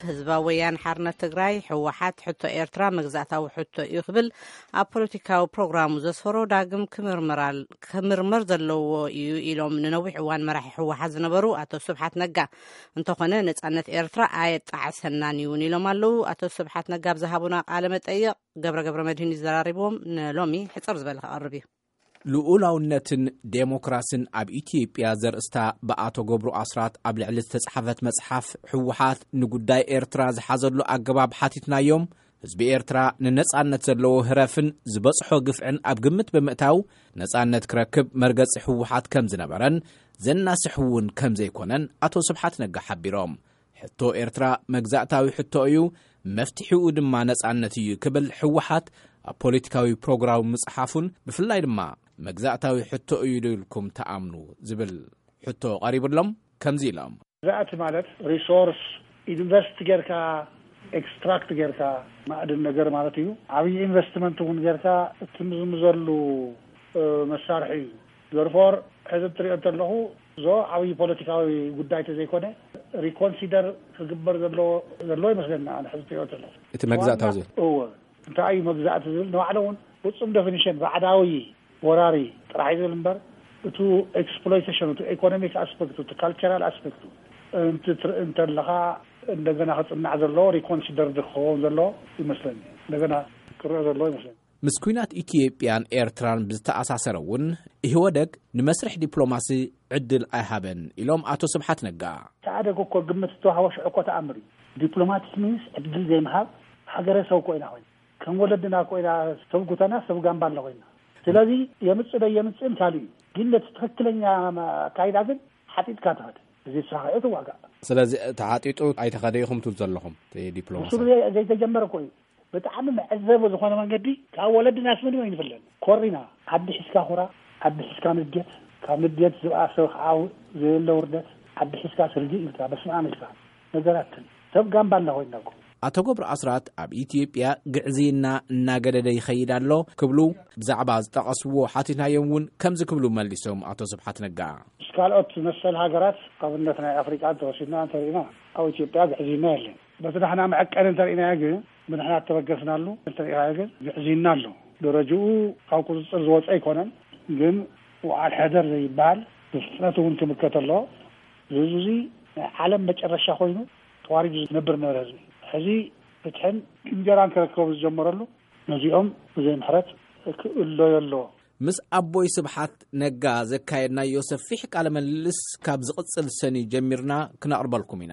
ህዝባዊ ወያነ ሓርነት ትግራይ፣ ህወሓት፣ ሕቶ ኤርትራ መግዛእታዊ ሕቶ እዩ ክብል ኣብ ፖለቲካዊ ፕሮግራሙ ዘስፈሮ ዳግም ክምርመር ኣል-፣ ክምርመር ዘለዎ እዩ ኢሎም ንነዊሕ እዋን መራሒ ህወሓት ዝነበሩ ኣቶ ስብሓት ነጋ። እንተኾነ ነጻነት ኤርትራ ኣየጣዕሰናን እውን ኢሎም ኣለዉ። ኣቶ ስብሓት ነጋ ኣብ ዝሃቡና ቃለ መጠይቕ ገብረ ገብረ መድህን እዩ ዘራሪብዎም። ንሎሚ ሕጽር ዝበለ ክቐርብ እዩ። ልኡላውነትን ዴሞክራስን ኣብ ኢትዮጵያ ዘርእስታ ብኣቶ ገብሩ ኣስራት ኣብ ልዕሊ ዝተጻሕፈት መጽሓፍ፣ ህወሓት ንጉዳይ ኤርትራ ዝሓዘሉ ኣገባብ ሓቲትናዮም። ህዝቢ ኤርትራ ንነጻነት ዘለዎ ህረፍን ዝበጽሖ ግፍዕን ኣብ ግምት ብምእታው፣ ነጻነት ክረክብ መርገጺ ህወሓት ከም ዝነበረን ዘናስሕ እውን ከም ዘይኮነን ኣቶ ስብሓት ነጋ ሓቢሮም። ሕቶ ኤርትራ መግዛእታዊ ሕቶ እዩ፣ መፍትሒኡ ድማ ነጻነት እዩ ክብል ህወሓት ኣብ ፖለቲካዊ ፕሮግራሙ ምጽሓፉን፣ ብፍላይ ድማ መግዛእታዊ ሕቶ እዩ ዶ ኢልኩም ትኣምኑ ዝብል ሕቶ ቀሪብሎም ከምዚ ኢሎም። መግዛእቲ ማለት ሪሶርስ ኢንቨስት ጌርካ፣ ኤክስትራክት ጌርካ፣ ማዕድን ነገር ማለት እዩ። ዓብዪ ኢንቨስትመንት እውን ጌርካ እትምዝምዘሉ፣ እ፣ መሳርሒ እዩ። ዘርፎር ሕዚ እትሪኦ እንተለኹ፣ ዞ ዓብዪ ፖለቲካዊ ጉዳይ ተዘይኮነ፣ ሪኮንሲደር ክግበር ዘለዎ፣ ዘለዎ ይመስለኒ ኣነ ሕዚ እትሪኦ እንተለኹ። እቲ መግዛእታዊ ዝብል። እወ፣ እንታይ እዩ መግዛእቲ ዝብል? ንባዕሉ እውን ፍጹም ዴፊኒሽን ባዕዳዊ ወራሪ ጥራሕ እዩ ዝብል እምበር፣ እቱ ኤክስፕሎይቴሽን፣ እቱ ኢኮኖሚክ ኣስፔክቱ፣ እቱ ካልቸራል ኣስፔክቱ እንትትርኢ እንተለኻ፣ እንደገና ክጽናዕ ዘለዎ፣ ሪኮንሲደር ክኸውን ዘለዎ ይመስለኒ። እንደገና ክረአ ዘለዎ ይመስለኒ። ምስ ኲናት ኢትዮጵያን ኤርትራን ብዝተኣሳሰረ እውን፣ ኢህወደግ ንመስርሕ ዲፕሎማሲ ዕድል ኣይሃበን ኢሎም ኣቶ ስብሓት ነጋ። ኢህኣደግ እኮ ግምት ዝተዋህቦ ሽዑ እኮ ተኣምር እዩ። ዲፕሎማቲክ ሚንስ ዕድል ዘይምሃብ፣ ሃገረሰብ እኮ ኢና ኮይና፣ ከም ወለድና እኮ ኢና፣ ሰብ ጉተና ሰብ ጋምባላ ኮይና። ስለዚ የምጽእ ዶ የምጽእን ካልእ እዩ። ግን ነቲ ትኽክለኛ ኣካይዳ ግን ሓጢጥካ ትኸድ። እዚ ተሳኺዑ ትዋጋእ። ስለዚ ተሓጢጡ ኣይተኸደ ኢኹም ትብሉ ዘለኹም፣ እቲ ዲፕሎማሲ። ብስሩ ዘይ-፣ ዘይተጀመረ እኮ እዩ። ብጣዕሚ መዕዘቢ ዝኾነ መንገዲ ካብ ወለድናስ ምንም ኣይንፍለን። ኮሪና፣ ዓዲ ሒዝካ ኩራ፣ ዓዲ ሒዝካ ንዴት፣ ካብ ንዴት ዝብኣሰ ከዓ ዘየለ ውርደት፣ ዓዲ ሒዝካ ስርጊ ኢልካ፣ በስመ ኣብ ኢልካ፣ ነገራትን ሰብ ጋምባላ ኮይና እኮ። ኣቶ ገብሩ ኣስራት ኣብ ኢትዮጵያ ግዕዝይና እናገደደ ይኸይድ ኣሎ ክብሉ ብዛዕባ ዝጠቐስዎ ሓቲትናዮም እውን ከምዚ ክብሉ መሊሶም ኣቶ ስብሓት ነጋ። ምስ ካልኦት መሰል ሃገራት ኣብነት ናይ ኣፍሪቃ እንተወሲድና እንተሪእና ኣብ ኢትዮጵያ ግዕዝይና የለን። በቲ ንሕና መዐቀኒ እንተሪእናዮ ግን ብንሕና እተበገስናሉ እንተሪእናዮ ግን ግዕዝይና ኣሎ። ደረጅኡ ካብ ቁፅፅር ዝወፀ ኣይኮነን፣ ግን ውዓል ሕደር ዘይበሃል ብፍጥነት እውን ክምከት ኣለዎ። እዚ ህዝቢ እዚ ናይ ዓለም መጨረሻ ኮይኑ ተዋሪዱ ዝነብር ነበረ ህዝቢ። ሕዚ ፍትሕን እንጀራን ክረከቡ ዝጀመረሉ ነዚኦም ብዘይ ምሕረት ክእለዮ ኣለዎ። ምስ ኣቦይ ስብሓት ነጋ ዘካየድናዮ ሰፊሕ ቃለ ምልልስ ካብ ዝቕጽል ሰኒ ጀሚርና ክነቕርበልኩም ኢና።